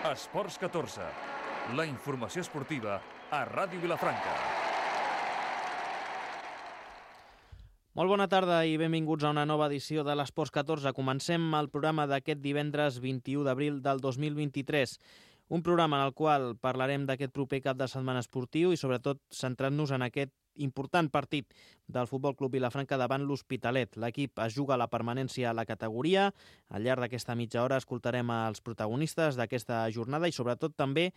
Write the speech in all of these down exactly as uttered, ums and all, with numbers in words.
Esports catorze, la informació esportiva a Ràdio Vilafranca. Molt bona tarda i benvinguts a una nova edició de l'Esports catorze. Comencem el programa d'aquest divendres vint-i-u d'abril del dos mil vint-i-tres. Un programa en el qual parlarem d'aquest proper cap de setmana esportiu i sobretot centrant-nos en aquest important partit del Futbol Club Vilafranca davant l'Hospitalet. L'equip es juga la permanència a la categoria. Al llarg d'aquesta mitja hora escoltarem els protagonistes d'aquesta jornada i sobretot també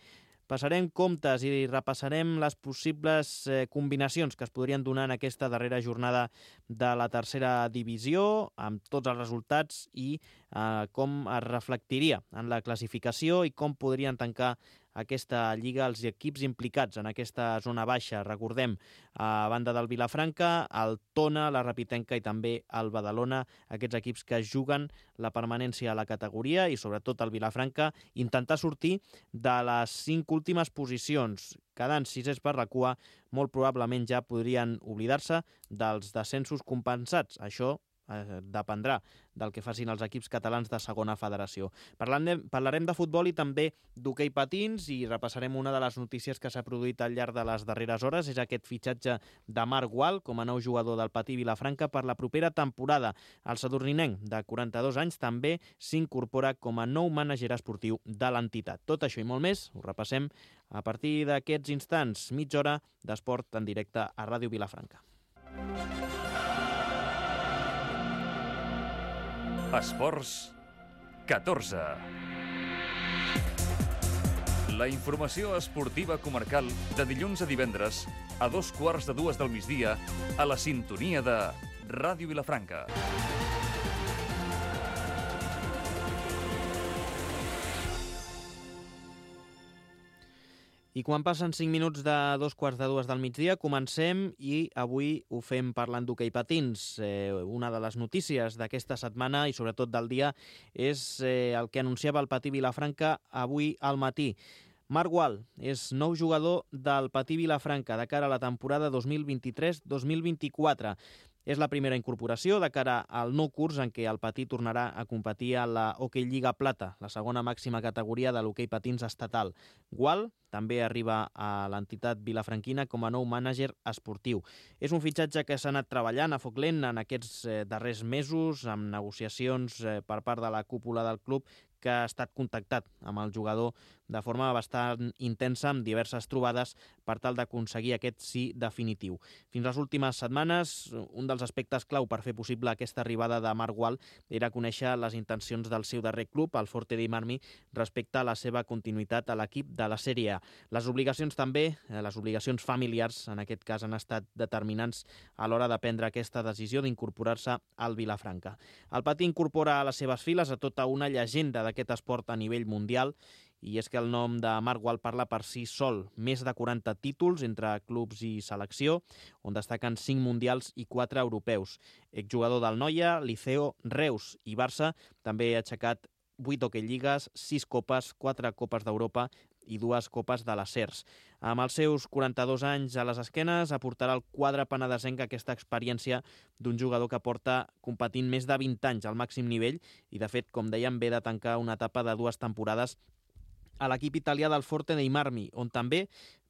passarem comptes i repassarem les possibles eh, combinacions que es podrien donar en aquesta darrera jornada de la tercera divisió, amb tots els resultats i eh, com es reflectiria en la classificació i com podrien tancar aquesta lliga els equips implicats en aquesta zona baixa. Recordem, a banda del Vilafranca, el Tona, la Rapitenca i també el Badalona, aquests equips que juguen la permanència a la categoria i sobretot el Vilafranca intentar sortir de les cinc últimes posicions. Quedant sisers per la cua, molt probablement ja podrien oblidar-se dels descensos compensats. Això eh, dependrà del que facin els equips catalans de segona federació. Parlarem, parlarem de futbol i també d'hoquei patins i repassarem una de les notícies que s'ha produït al llarg de les darreres hores. És aquest fitxatge de Marc Gual com a nou jugador del Patí Vilafranca per la propera temporada. El sadurninenc de quaranta-dos anys també s'incorpora com a nou mànager esportiu de l'entitat. Tot això i molt més ho repassem a partir d'aquests instants. Mitja hora d'esport en directe a Ràdio Vilafranca. Esports catorze. La informació esportiva comarcal de dilluns a divendres a dos quarts de dues del migdia a la sintonia de Ràdio Vilafranca. I quan passen cinc minuts de dos quarts de dues del migdia, comencem i avui ho fem parlant d'hoquei patins. Eh, una de les notícies d'aquesta setmana i sobretot del dia és eh, el que anunciava el Patí Vilafranca avui al matí. Marc Gual és nou jugador del Patí Vilafranca de cara a la temporada dos mil vint-i-tres dos mil vint-i-quatre. És la primera incorporació de cara al nou curs en què el Patí tornarà a competir a la Hockey Lliga Plata, la segona màxima categoria de l'hoquei patins estatal. Gual també arriba a l'entitat vilafranquina com a nou mànager esportiu. És un fitxatge que s'ha anat treballant a foc lent en aquests eh, darrers mesos, amb negociacions eh, per part de la cúpula del club, que ha estat contactat amb el jugador de forma bastant intensa, amb diverses trobades per tal d'aconseguir aquest sí definitiu. Fins les últimes setmanes, un dels aspectes clau per fer possible aquesta arribada de Marc Gual era conèixer les intencions del seu darrer club, el Forte dei Marmi, respecte a la seva continuïtat a l'equip de la Sèrie A. Les obligacions també, les obligacions familiars, en aquest cas han estat determinants a l'hora de prendre aquesta decisió d'incorporar-se al Vilafranca. El Patí incorpora a les seves files a tota una llegenda d'aquest esport a nivell mundial, i és que el nom de Marc Gual parla per si sol. Més de quaranta títols entre clubs i selecció, on destaquen cinc mundials i quatre europeus. Exjugador del Noia, Liceo, Reus i Barça, també ha aixecat vuit hoquei lligues, sis copes, quatre copes d'Europa i dues copes de les Cers. Amb els seus quaranta-dos anys a les esquenes, aportarà al quadre penedesenc aquesta experiència d'un jugador que porta competint més de vint anys al màxim nivell i, de fet, com dèiem, ve de tancar una etapa de dues temporades a l'equip italià del Forte dei Marmi, on també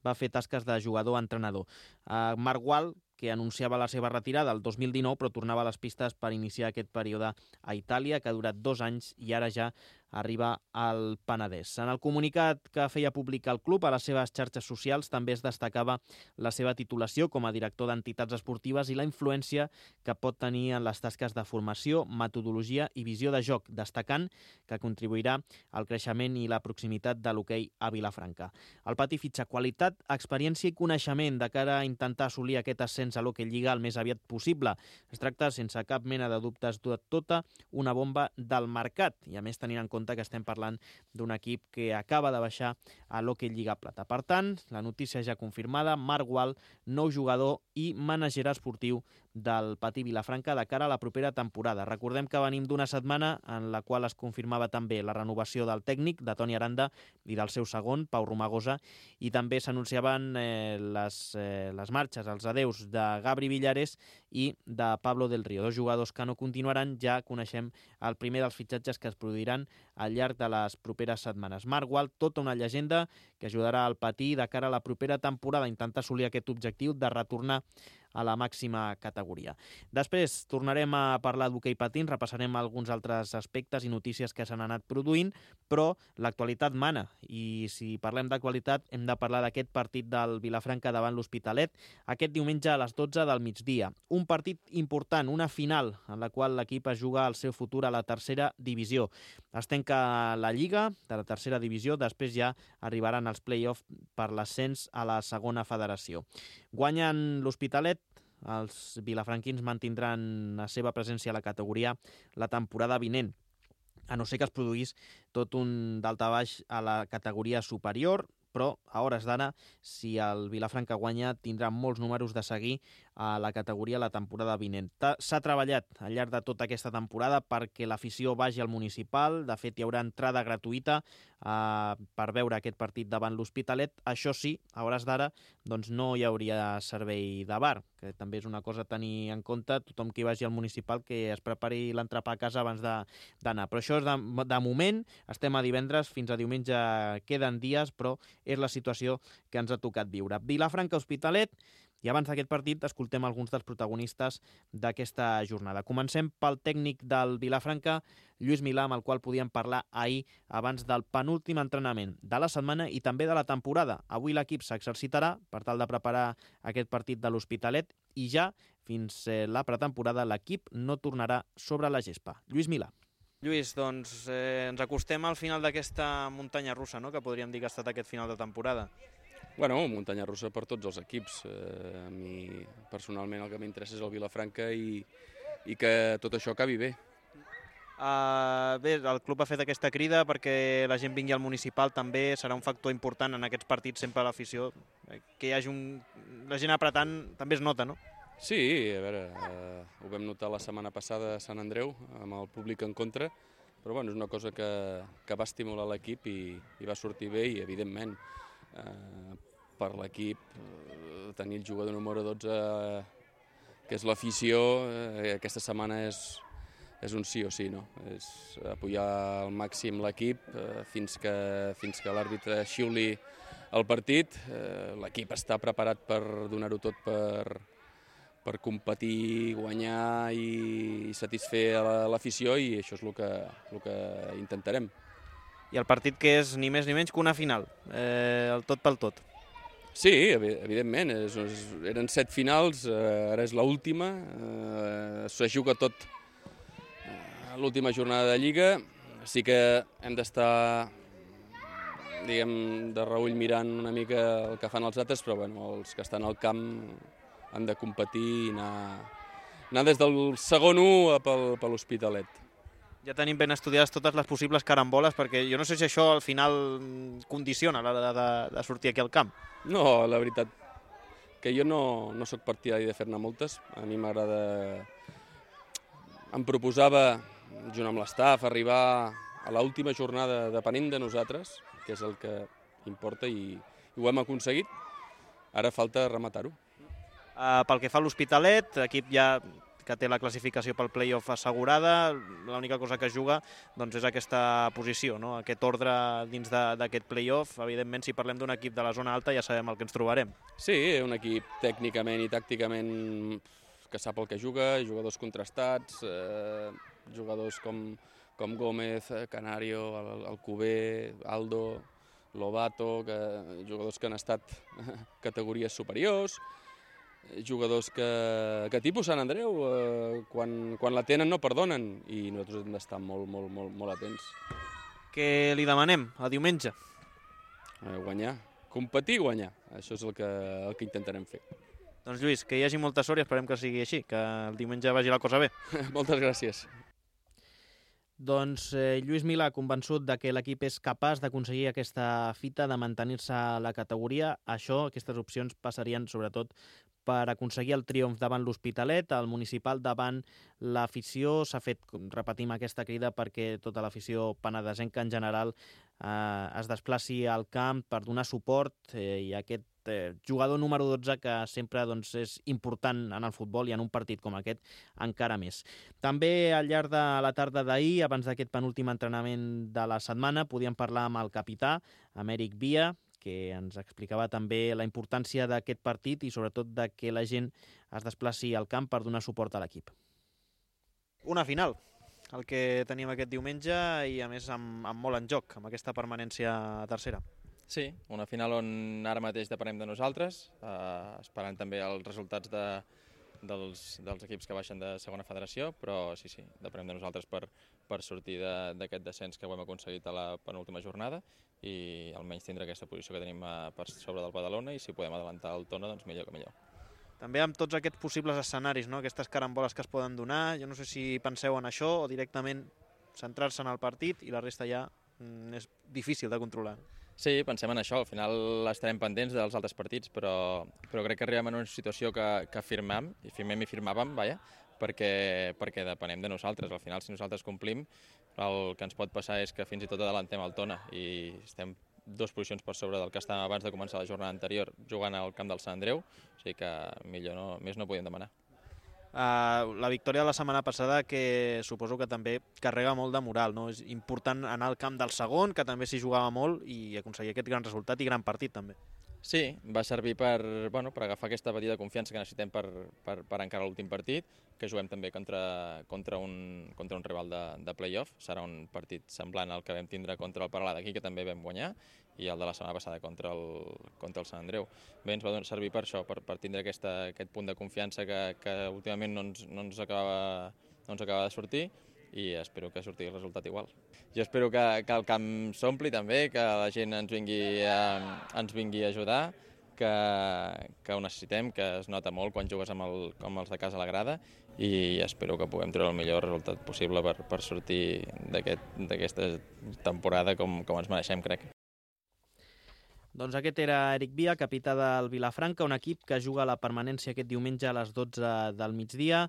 va fer tasques de jugador-entrenador. Uh, Marc Gual, que anunciava la seva retirada el dos mil dinou, però tornava a les pistes per iniciar aquest període a Itàlia, que ha durat dos anys i ara ja arriba al Penedès. En el comunicat que feia públic el club a les seves xarxes socials també es destacava la seva titulació com a director d'entitats esportives i la influència que pot tenir en les tasques de formació, metodologia i visió de joc, destacant que contribuirà al creixement i la proximitat de l'hoquei a Vilafranca. El Patí fitxa qualitat, experiència i coneixement de cara a intentar assolir aquest ascens a l'hoquei lliga el més aviat possible. Es tracta, sense cap mena de dubtes, de tota una bomba del mercat, i a més tenint en compte que estem parlant d'un equip que acaba de baixar a l'Hockey Lliga Plata. Per tant, la notícia ja confirmada, Marc Gual, nou jugador i mànager esportiu del Patí Vilafranca de cara a la propera temporada. Recordem que venim d'una setmana en la qual es confirmava també la renovació del tècnic, de Toni Aranda, i del seu segon, Pau Romagosa, i també s'anunciaven eh, les, eh, les marxes, els adeus de Gabri Villares i de Pablo del Río, dos jugadors que no continuaran. Ja coneixem el primer dels fitxatges que es produiran al llarg de les properes setmanes. Marc Gual, tota una llegenda que ajudarà al Patí de cara a la propera temporada a intentar assolir aquest objectiu de retornar a la màxima categoria. Després tornarem a parlar d'hoquei patins, repassarem alguns altres aspectes i notícies que s'han anat produint, però l'actualitat mana, i si parlem d'actualitat hem de parlar d'aquest partit del Vilafranca davant l'Hospitalet, aquest diumenge a les dotze del migdia. Un partit important, una final, en la qual l'equip es juga el seu futur a la tercera divisió. Es tanca la Lliga de la tercera divisió, després ja arribaran els play-offs per l'ascens a la segona federació. Guanyen l'Hospitalet, els vilafranquins mantindran la seva presència a la categoria la temporada vinent, a no ser que es produís tot un daltabaix a la categoria superior, però a hores d'ara, si el Vilafranca guanya, tindrà molts números de seguir a la categoria la temporada vinent. S'ha treballat al llarg de tota aquesta temporada perquè l'afició vagi al municipal. De fet, hi haurà entrada gratuïta eh, per veure aquest partit davant l'Hospitalet. Això sí, a hores d'ara doncs no hi hauria servei de bar, que també és una cosa a tenir en compte. Tothom que vagi al municipal que es prepari l'entrepà a casa abans d'anar. Però això és de, de moment, estem a divendres, fins a diumenge queden dies, però és la situació que ens ha tocat viure. Vilafranca-Hospitalet, i abans d'aquest partit escoltem alguns dels protagonistes d'aquesta jornada. Comencem pel tècnic del Vilafranca, Lluís Milà, amb el qual podíem parlar ahir abans del penúltim entrenament de la setmana i també de la temporada. Avui l'equip s'exercitarà per tal de preparar aquest partit de l'Hospitalet i ja fins la pretemporada l'equip no tornarà sobre la gespa. Lluís Milà. Lluís, doncs eh, ens acostem al final d'aquesta muntanya russa, no?, que podríem dir que ha estat aquest final de temporada. Bueno, muntanya russa per tots els equips. Eh, a mi, personalment, el que m'interessa és el Vilafranca i, i que tot això acabi bé. Uh, bé, el club ha fet aquesta crida perquè la gent vingui al municipal, també serà un factor important en aquests partits, sempre l'afició. Que hi hagi un... la gent apretant també es nota, no? Sí, a veure, eh, ho vam notar la setmana passada a Sant Andreu, amb el públic en contra, però bueno, és una cosa que, que va estimular l'equip i, i va sortir bé i, evidentment, eh, per l'equip eh, tenir el jugador número dotze, que és l'afició, eh, aquesta setmana és, és un sí o sí, no? És apoyar al màxim l'equip eh, fins que, fins que l'àrbitre xiuli el partit. Eh, l'equip està preparat per donar-ho tot per... per competir, guanyar i satisfer a l'afició, i això és el que, el que intentarem. I el partit que és ni més ni menys que una final, eh, el tot pel tot. Sí, evidentment, és, és, eren set finals, eh, ara és l'última, eh, se juga tot eh, l'última jornada de Lliga, sí que hem d'estar, diguem, de reull mirant una mica el que fan els altres, però bueno, els que estan al camp han de competir i anar, anar des del segon u pel, per l'Hospitalet. Ja tenim ben estudiades totes les possibles caramboles, perquè jo no sé si això al final condiciona l'hora de, de sortir aquí al camp. No, la veritat que jo no, no sóc partidari de fer-ne moltes. A mi m'agrada... Em proposava, junt amb l'estaf, arribar a l'última jornada depenent de nosaltres, que és el que importa, i, i ho hem aconseguit. Ara falta rematar-ho. Uh, pel que fa a l'Hospitalet, equip ja que té la classificació pel play-off assegurada, l'única cosa que es juga doncs, és aquesta posició, no? Aquest ordre dins d'aquest play-off. Evidentment, si parlem d'un equip de la zona alta ja sabem el que ens trobarem. Sí, un equip tècnicament i tàcticament que sap el que juga, jugadors contrastats, eh, jugadors com, com Gómez, Canario, Alcover, Aldo, Lobato, que, jugadors que han estat categories superiors, jugadors que, que tipus Sant Andreu, eh, quan, quan la tenen no perdonen, i nosaltres hem d'estar molt, molt, molt, molt atents. Què li demanem a diumenge? Eh, guanyar, competir i guanyar, això és el que, el que intentarem fer. Doncs Lluís, que hi hagi molta sort i esperem que sigui així, que el diumenge vagi la cosa bé. Moltes gràcies. Doncs eh, Lluís Milà, convençut de que l'equip és capaç d'aconseguir aquesta fita, de mantenir-se a la categoria. Això, aquestes opcions passarien sobretot per aconseguir el triomf davant l'Hospitalet, el municipal davant l'afició. S'ha fet, repetim, aquesta crida perquè tota l'afició penedesenca en general eh, es desplaci al camp per donar suport eh, i aquest eh, jugador número dotze que sempre doncs, és important en el futbol i en un partit com aquest encara més. També al llarg de la tarda d'ahir, abans d'aquest penúltim entrenament de la setmana, podíem parlar amb el capità, amb Eric Via, que ens explicava també la importància d'aquest partit i sobretot de que la gent es desplaci al camp per donar suport a l'equip. Una final, el que tenim aquest diumenge i a més amb, amb molt en joc, amb aquesta permanència a tercera. Sí, una final on ara mateix depenem de nosaltres, eh, esperant també els resultats de, dels, dels equips que baixen de segona federació, però sí, sí, depenem de nosaltres per, per sortir d'aquest descens que ho hem aconseguit a la penúltima jornada i almenys tindre aquesta posició que tenim a, per sobre del Badalona i si podem adelantar el Tona, doncs millor que millor. També amb tots aquests possibles escenaris, no? Aquestes caramboles que es poden donar, jo no sé si penseu en això o directament centrar-se en el partit i la resta ja mm, és difícil de controlar. Sí, pensem en això, al final estarem pendents dels altres partits, però, però crec que arribem en una situació que, que firmem, i firmem i firmàvem, vaja, perquè, perquè depenem de nosaltres. Al final, si nosaltres complim, el que ens pot passar és que fins i tot adelantem el Tona i estem dues posicions per sobre del que estàvem abans de començar la jornada anterior jugant al camp del Sant Andreu, o sigui que millor no, més no podíem demanar. Uh, la victòria de la setmana passada que suposo que també carrega molt de moral, no? És important anar al camp del segon, que també s'hi jugava molt i aconseguir aquest gran resultat i gran partit també. Sí, va servir per, bueno, per agafar aquesta petita confiança que necessitem per, per, per encarar l'últim partit, que juguem també contra, contra, un, contra un rival de, de play-off. Serà un partit semblant al que vam tindre contra el Paralà d'aquí, que també vam guanyar, i el de la setmana passada contra el, contra el Sant Andreu. Bé, ens va servir per això, per, per tindre aquesta, aquest punt de confiança que, que últimament no ens, no, ens acaba, no ens acaba de sortir, i espero que surti el resultat igual. Jo espero que, que el camp s'ompli també, que la gent ens vingui a, ens vingui a ajudar, que, que ho necessitem, que es nota molt quan jugues amb, el, amb els de casa a la grada i espero que puguem treure el millor resultat possible per, per sortir d'aquesta temporada com, com ens mereixem, crec. Doncs aquest era Eric Via, capità del Vilafranca, un equip que juga a la permanència aquest diumenge a les dotze del migdia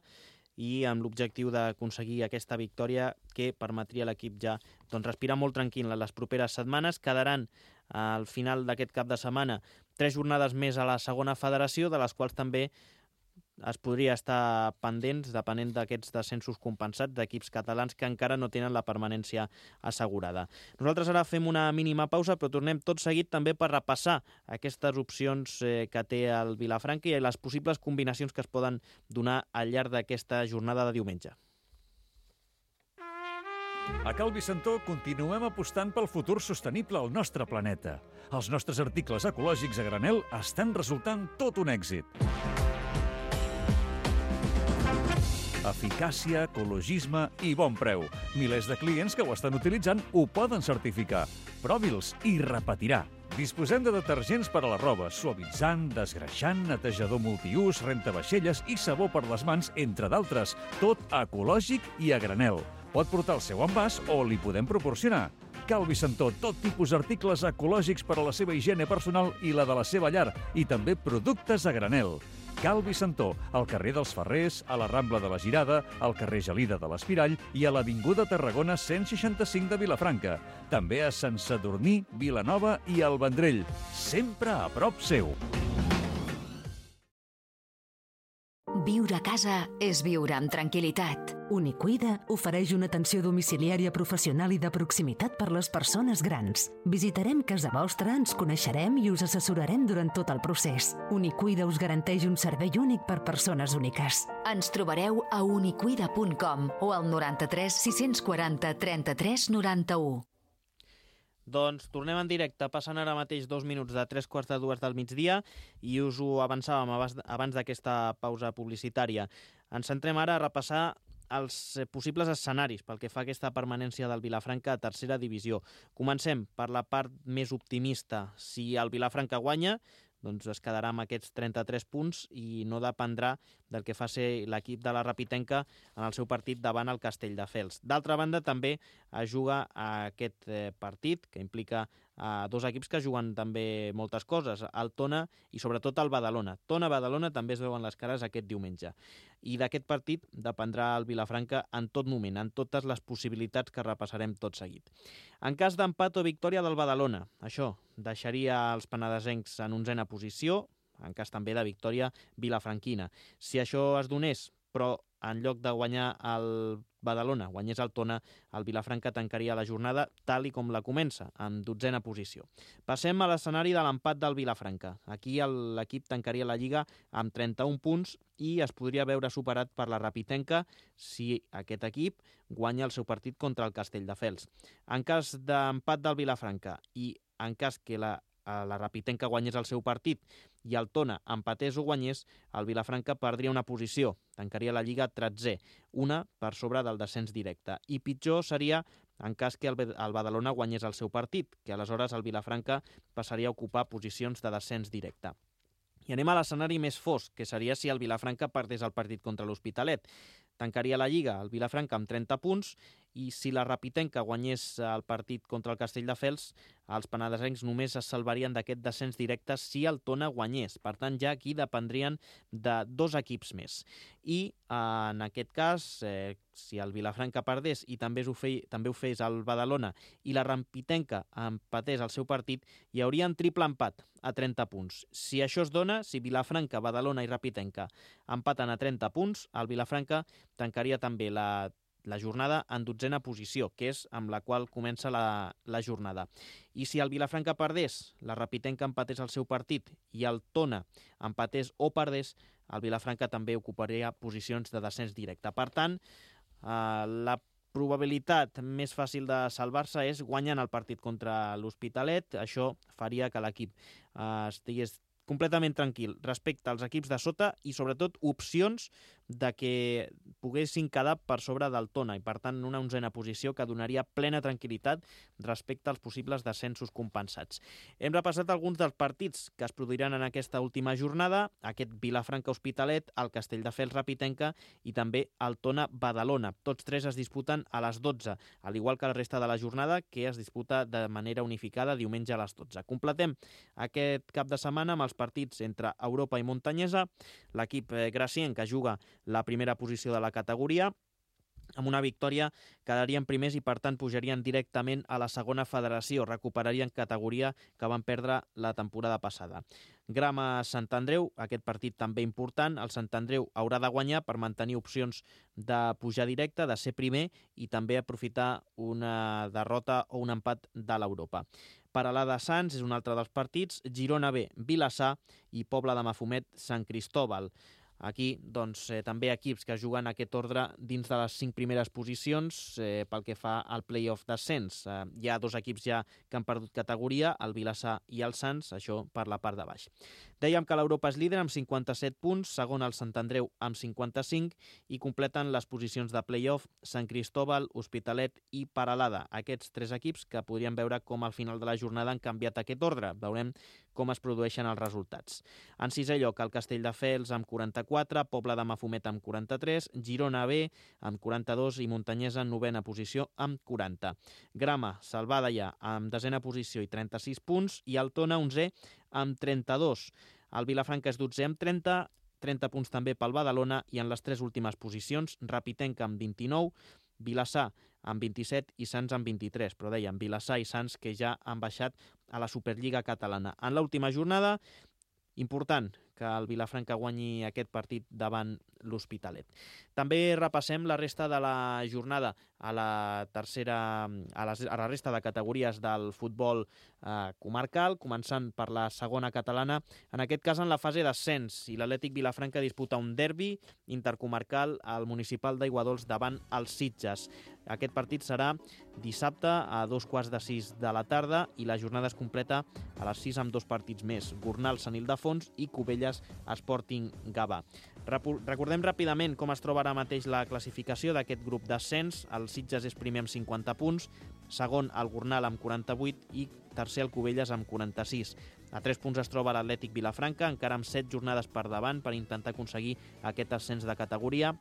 i amb l'objectiu d'aconseguir aquesta victòria que permetria a l'equip ja doncs, respirar molt tranquil en les properes setmanes. Quedaran al final d'aquest cap de setmana tres jornades més a la segona federació, de les quals també es podria estar pendents, depenent d'aquests descensos compensats d'equips catalans que encara no tenen la permanència assegurada. Nosaltres ara fem una mínima pausa, però tornem tot seguit també per repassar aquestes opcions eh, que té el Vilafranca i les possibles combinacions que es poden donar al llarg d'aquesta jornada de diumenge. A Cal Vicentó continuem apostant pel futur sostenible al nostre planeta. Els nostres articles ecològics a granel estan resultant tot un èxit. Eficàcia, ecologisme i bon preu. Milers de clients que ho estan utilitzant ho poden certificar. Provi'ls i repetirà. Disposem de detergents per a la roba, suavitzant, desgreixant, netejador multiús, rentavaixelles i sabó per les mans, entre d'altres. Tot ecològic i a granel. Pot portar el seu envàs o li podem proporcionar. Cal Vicentó, tot tipus d'articles ecològics per a la seva higiene personal i la de la seva llar, i també productes a granel. Cal Vicentó, al carrer dels Ferrers, a la Rambla de la Girada, al carrer Gelida de l'Espirall i a l'Avinguda Tarragona cent seixanta-cinc de Vilafranca. També a Sant Sadurní, Vilanova i el Vendrell. Sempre a prop seu. Viure a casa és viure amb tranquil·litat. Unicuida ofereix una atenció domiciliària professional i de proximitat per les persones grans. Visitarem casa vostra, ens coneixerem i us assessorarem durant tot el procés. Unicuida us garanteix un servei únic per persones úniques. Ens trobareu a unicuida punt com o al noranta-tres sis-cents quaranta trenta-tres noranta-u. Doncs tornem en directe, passen ara mateix dos minuts de tres quarts de dues del migdia i us ho avançàvem abans d'aquesta pausa publicitària. Ens centrem ara a repassar els possibles escenaris pel que fa a aquesta permanència del Vilafranca a tercera divisió. Comencem per la part més optimista. Si el Vilafranca guanya, doncs es quedarà amb aquests trenta-tres punts i no dependrà del que faci l'equip de la Rapitenca en el seu partit davant el Castelldefels. D'altra banda, també es juga a aquest partit, que implica a dos equips que juguen també moltes coses, el Tona i sobretot el Badalona. Tona-Badalona també es veuen les cares aquest diumenge. I d'aquest partit dependrà el Vilafranca en tot moment, en totes les possibilitats que repassarem tot seguit. En cas d'empat o victòria del Badalona, això deixaria els penedesencs en onzena posició, en cas també de victòria vilafranquina. Si això es donés, però en lloc de guanyar el Badalona, guanyés el Tona, el Vilafranca tancaria la jornada tal i com la comença, amb dotzena posició. Passem a l'escenari de l'empat del Vilafranca. Aquí l'equip tancaria la Lliga amb trenta-un punts i es podria veure superat per la Rapitenca si aquest equip guanya el seu partit contra el Castelldefels. En cas d'empat del Vilafranca i en cas que la la Rapitenca guanyés el seu partit i el Tona empatés o guanyés, el Vilafranca perdria una posició, tancaria la Lliga tretzè, una per sobre del descens directe. I pitjor seria en cas que el Badalona guanyés el seu partit, que aleshores el Vilafranca passaria a ocupar posicions de descens directe. I anem a l'escenari més fosc, que seria si el Vilafranca perdés el partit contra l'Hospitalet. Tancaria la Lliga el Vilafranca amb trenta punts i si la Rapitenca guanyés el partit contra el Castelldefels, els penedesencs només es salvarien d'aquest descens directe si el Tona guanyés. Per tant, ja aquí dependrien de dos equips més. I en aquest cas, eh, si el Vilafranca perdés i també ho, fei, també ho fes el Badalona i la Rapitenca empatés el seu partit, hi hauria un triple empat a trenta punts. Si això es dona, si Vilafranca, Badalona i Rapitenca empaten a trenta punts, el Vilafranca tancaria també la la jornada en dotzena posició, que és amb la qual comença la, la jornada. I si el Vilafranca perdés, la Rapitenca empatés el seu partit i el Tona empatés o perdés, el Vilafranca també ocuparia posicions de descens directe. Per tant, eh, la probabilitat més fàcil de salvar-se és guanyant el partit contra l'Hospitalet. Això faria que l'equip eh, estigués completament tranquil respecte als equips de sota i sobretot opcions de que poguessin quedar per sobre del Tona i per tant una onzena posició que donaria plena tranquil·litat respecte als possibles descensos compensats. Hem repassat alguns dels partits que es produiran en aquesta última jornada, aquest Vilafranca-Hospitalet, el Castelldefels-Rapitenca i també el Tona-Badalona. Tots tres es disputen a les dotze, al igual que la resta de la jornada que es disputa de manera unificada diumenge a les dotze. Completem aquest cap de setmana amb els partits entre Europa i Montanyesa, l'equip gracienc que juga la primera posició de la categoria. Amb una victòria quedarien primers i per tant pujarien directament a la segona federació, recuperarien categoria que van perdre la temporada passada. Grama Sant Andreu, aquest partit també important, el Sant Andreu haurà de guanyar per mantenir opcions de pujar directe, de ser primer i també aprofitar una derrota o un empat de l'Europa. Paralada Sants és un altre dels partits, Girona B, Vilassar i Pobla de Mafumet, Sant Cristòbal. Aquí, doncs, eh, també equips que juguen aquest ordre dins de les cinc primeres posicions eh, pel que fa al play-off d'ascens. Eh, hi ha dos equips ja que han perdut categoria, el Vilassar i el Sants, això per la part de baix. Dèiem que l'Europa és líder amb cinquanta-set punts, segon el Sant Andreu amb cinquanta-cinc i completen les posicions de play-off Sant Cristòbal, Hospitalet i Paralada. Aquests tres equips que podríem veure com al final de la jornada han canviat aquest ordre. Veurem com es produeixen els resultats. En sisè lloc, el Castelldefels amb quaranta-quatre, Pobla de Mafumet amb quaranta-tres, Girona B amb quaranta-dos i Montanyesa en novena posició amb quaranta. Grama, salvada ja, amb desena posició i trenta-sis punts, i el Tona, onzè, amb trenta-dos. El Vilafranca és dotzè amb trenta, trenta punts també pel Badalona, i en les tres últimes posicions, Rapitenca amb vint-i-nou, Vilassar amb vint-i-set i Sants amb vint-i-tres, però dèiem Vilassar i Sants que ja han baixat a la Superliga catalana. En l'última jornada, important que el Vilafranca guanyi aquest partit davant l'Hospitalet. També repassem la resta de la jornada a la tercera, a la, a la resta de categories del futbol eh, comarcal, començant per la segona catalana, en aquest cas en la fase d'ascens, i l'Atlètic Vilafranca disputa un derbi intercomarcal al municipal d'Aiguadols davant els Sitges. Aquest partit serà dissabte a dos quarts de sis de la tarda i la jornada es completa a les sis amb dos partits més, Gornal Sant Ildefons i Cubelles Sporting Gavà. Recordem ràpidament com es troba ara mateix la classificació d'aquest grup d'ascens. El Sitges és primer amb cinquanta punts, segon el Gornal amb quaranta-vuit i tercer el Cubelles amb quaranta-sis. A tres punts es troba l'Atlètic Vilafranca, encara amb set jornades per davant per intentar aconseguir aquest ascens de categoria.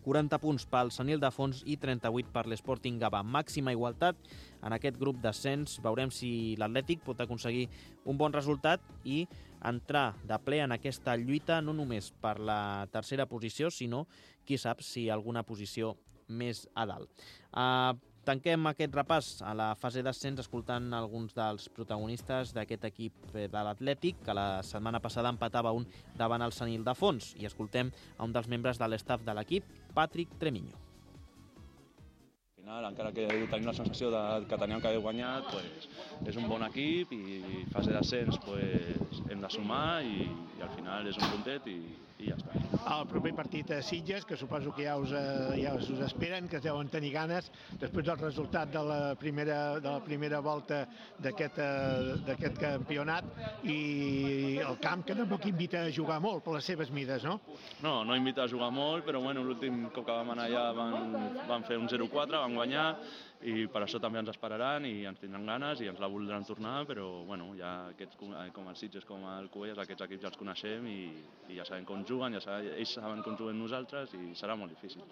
quaranta punts pel Sant Ildefons i trenta-vuit per l'Sporting Gavà. Màxima igualtat en aquest grup d'ascens. Veurem si l'Atlètic pot aconseguir un bon resultat i entrar de ple en aquesta lluita no només per la tercera posició, sinó, qui sap, si alguna posició més a dalt. Uh, Tanquem aquest repàs a la fase d'ascens escoltant alguns dels protagonistes d'aquest equip de l'Atlètic, que la setmana passada empatava un davant el Sant Ildefons, i escoltem a un dels membres de l'estaf de l'equip, Patrick Tremiño. Al final, encara que tenim la sensació de, que teníem que haver guanyat, pues, és un bon equip i fase d'ascens pues, hem de sumar i, i al final és un puntet i, i ja està. El proper partit a Sitges, que suposo que ja us, ja us esperen, que es deuen tenir ganes, després del resultat de la primera, de la primera volta d'aquest campionat, i el camp que tampoc invita a jugar molt per les seves mides, no? No, no invita a jugar molt, però bueno, l'últim cop que vam anar allà van, van fer un zero quatre, vam guanyar, i per això també ens esperaran i ens tindran ganes i ens la voldran tornar, però bueno, ja aquests, com el Sitges, com el Cubelles, aquests equips ja els coneixem i, i ja sabem com juguen, ja sabem, ells saben com juguem nosaltres i serà molt difícil.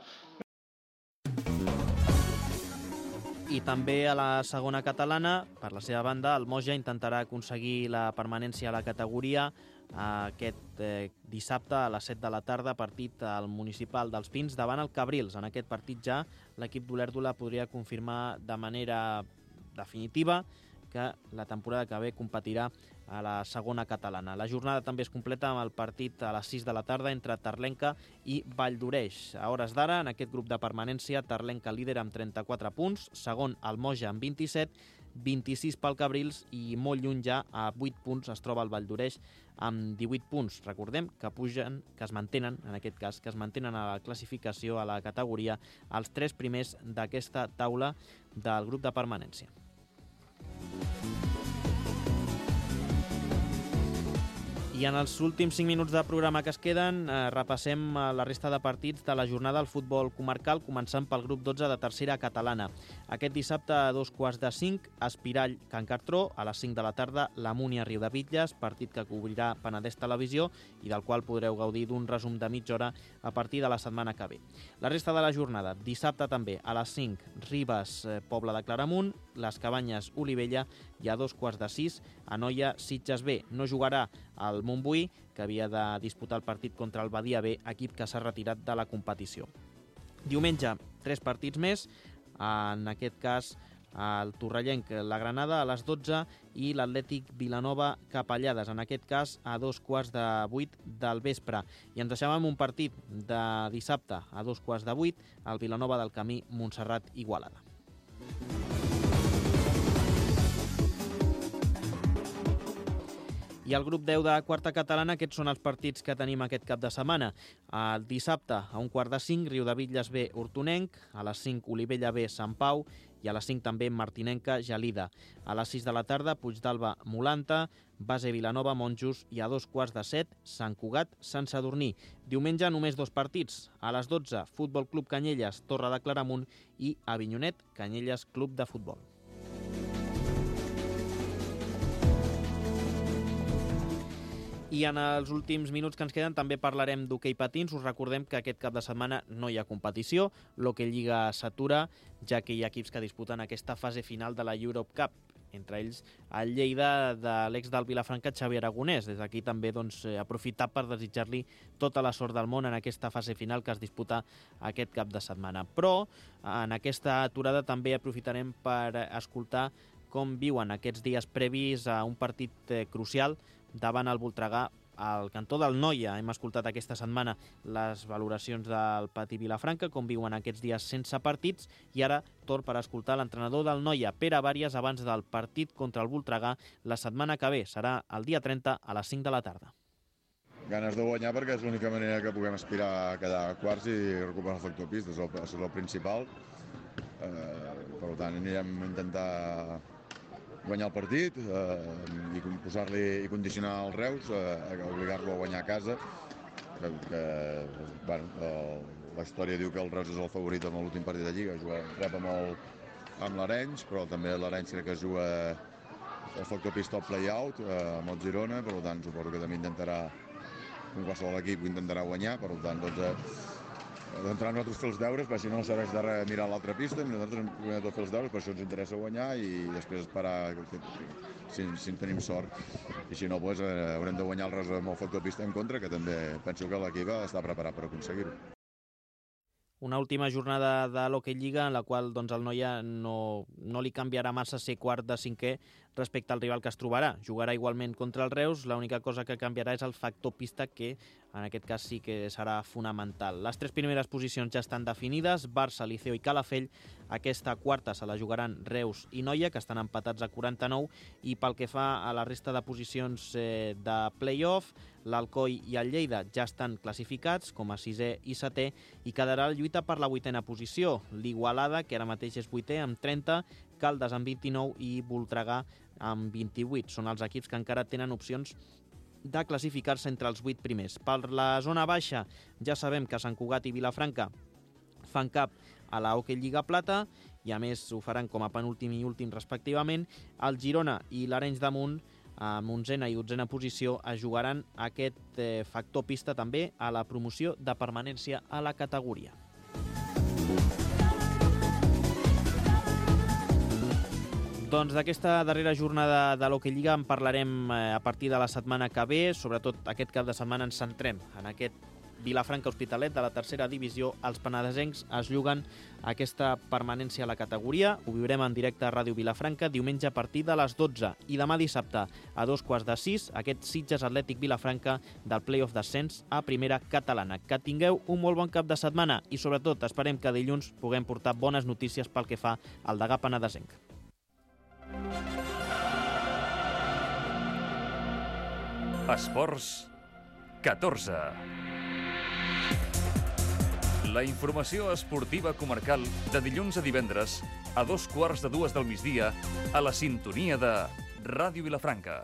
I també a la segona catalana, per la seva banda, el Moja intentarà aconseguir la permanència a la categoria aquest eh, dissabte a les set de la tarda, partit al Municipal dels Pins davant el Cabrils. En aquest partit ja l'equip d'Olèrdola podria confirmar de manera definitiva que la temporada que ve competirà a la segona catalana. La jornada també es completa amb el partit a les sis de la tarda entre Terlenca i Valldoreix. A hores d'ara, en aquest grup de permanència, Terlenca líder amb trenta-quatre punts, segon el Moja amb vint-i-set, vint-i-sis pel Cabrils i molt lluny ja a vuit punts es troba el Valldoreix amb divuit punts. Recordem que pugen, que es mantenen, en aquest cas, que es mantenen a la classificació, a la categoria, els tres primers d'aquesta taula del grup de permanència. I en els últims cinc minuts de programa que es queden, eh, repassem la resta de partits de la jornada al futbol comarcal, començant pel grup dotze de tercera catalana. Aquest dissabte a dos quarts de cinc, Espirall Can Cartró, a les cinc de la tarda, la Múnia Riudebitlles, partit que cobrirà Penedès Televisió i del qual podreu gaudir d'un resum de mitja hora a partir de la setmana que ve. La resta de la jornada, dissabte també, a les cinc, Ribes, eh, Pobla de Claramunt, Les Cabanyes, Olivella, i a dos quarts de sis, Anoia, Sitges B. No jugarà el Montbui, que havia de disputar el partit contra el Badia B, equip que s'ha retirat de la competició. Diumenge, tres partits més, en aquest cas el Torrellenc, la Granada a les dotze i l'Atlètic Vilanova Capellades, en aquest cas a dos quarts de vuit del vespre. I ens deixem amb un partit de dissabte a dos quarts de vuit, el Vilanova del Camí Montserrat Igualada. I el grup deu de quarta catalana, aquests són els partits que tenim aquest cap de setmana. El dissabte, a un quart de cinc, Riudebitlles B, Hortonenc, a les cinc, Olivella B, Sant Pau, i a les cinc també Martinenca, Gelida. A les sis de la tarda, Puigdàlber, Molanta, Base Vilanova, Monjos, i a dos quarts de set, Sant Cugat, Sant Sadurní. Diumenge només dos partits. A les dotze, Futbol Club Canyelles, Torre de Claramunt, i Avinyonet, Canyelles Club de Futbol. I en els últims minuts que ens queden també parlarem d'hoquei patins. Us recordem que aquest cap de setmana no hi ha competició, l'Hoquei Lliga s'atura, ja que hi ha equips que disputen aquesta fase final de la Europe Cup, entre ells el Lleida de l'ex del Vilafranca, Xavi Aragonès. Des d'aquí també doncs, aprofitar per desitjar-li tota la sort del món en aquesta fase final que es disputa aquest cap de setmana. Però en aquesta aturada també aprofitarem per escoltar com viuen aquests dies previs a un partit crucial davant el Voltregà al cantó del Noia. Hem escoltat aquesta setmana les valoracions del Patí Vilafranca, com viuen aquests dies sense partits, i ara torn per escoltar l'entrenador del Noia, Pere Bàries, abans del partit contra el Voltregà la setmana que ve. Serà el dia trenta a les cinc de la tarda. Ganes de guanyar perquè és l'única manera que puguem aspirar a quedar quarts i recuperar el factor pista, és el, és el principal. Eh, per tant, anirem a intentar guanyar el partit eh, i posar-li i condicionar el Reus, eh, obligar-lo a guanyar a casa, que, que bueno, el, la història diu que el Reus és el favorit en l'últim partit de Lliga, juga, rep amb, el, amb l'Arenys, però també l'Arenys crec que juga el factor pista al play-out eh, amb el Girona, per tant suposo que també intentarà, com qualsevol equip, intentarà guanyar, per tant doncs, eh, d'entrar nosaltres fer els deures, perquè si no no serveix de res mirar l'altra pista, nosaltres hem de fer els deures, per això ens interessa guanyar i després esperar si, si en tenim sort. I si no, doncs, eh, haurem de guanyar el res amb el factor pista en contra, que també penso que l'equip està preparat per aconseguir-ho. Una última jornada de l'Hockey Lliga en la qual doncs, el Noia no, no li canviarà massa ser quart de cinquè respecte al rival que es trobarà. Jugarà igualment contra el Reus, l'única cosa que canviarà és el factor pista, que en aquest cas sí que serà fonamental. Les tres primeres posicions ja estan definides, Barça, Liceo i Calafell. Aquesta quarta se la jugaran Reus i Noia, que estan empatats a quaranta-nou, i pel que fa a la resta de posicions eh, de play-off, l'Alcoi i el Lleida ja estan classificats com a sisè i setè i quedarà la lluita per la vuitena posició. L'Igualada, que ara mateix és vuitè amb trenta, Caldes amb vint-i-nou i Voltregà amb vint-i-vuit. Són els equips que encara tenen opcions de classificar-se entre els vuit primers. Per la zona baixa ja sabem que Sant Cugat i Vilafranca fan cap a la Hockey Lliga Plata i a més ho faran com a penúltim i últim respectivament. El Girona i l'Arenys de Munt, amb onzena i dotzena posició, es jugaran aquest eh, factor pista també a la promoció de permanència a la categoria. Doncs d'aquesta darrera jornada de l'Hockey Lliga en parlarem eh, a partir de la setmana que ve. Sobretot aquest cap de setmana ens centrem en aquest Vilafranca Hospitalet de la tercera divisió. Els penedesencs es lluguen aquesta permanència a la categoria. Ho viurem en directe a Ràdio Vilafranca diumenge a partir de les dotze i demà dissabte a dos quarts de sis aquest Sitges Atlètic Vilafranca del play-off d'ascens a primera catalana. Que tingueu un molt bon cap de setmana i sobretot esperem que dilluns puguem portar bones notícies pel que fa al Degà penedesenc. Esports catorze. La informació esportiva comarcal de dilluns a divendres a dos quarts de dues del migdia a la sintonia de Ràdio Vilafranca.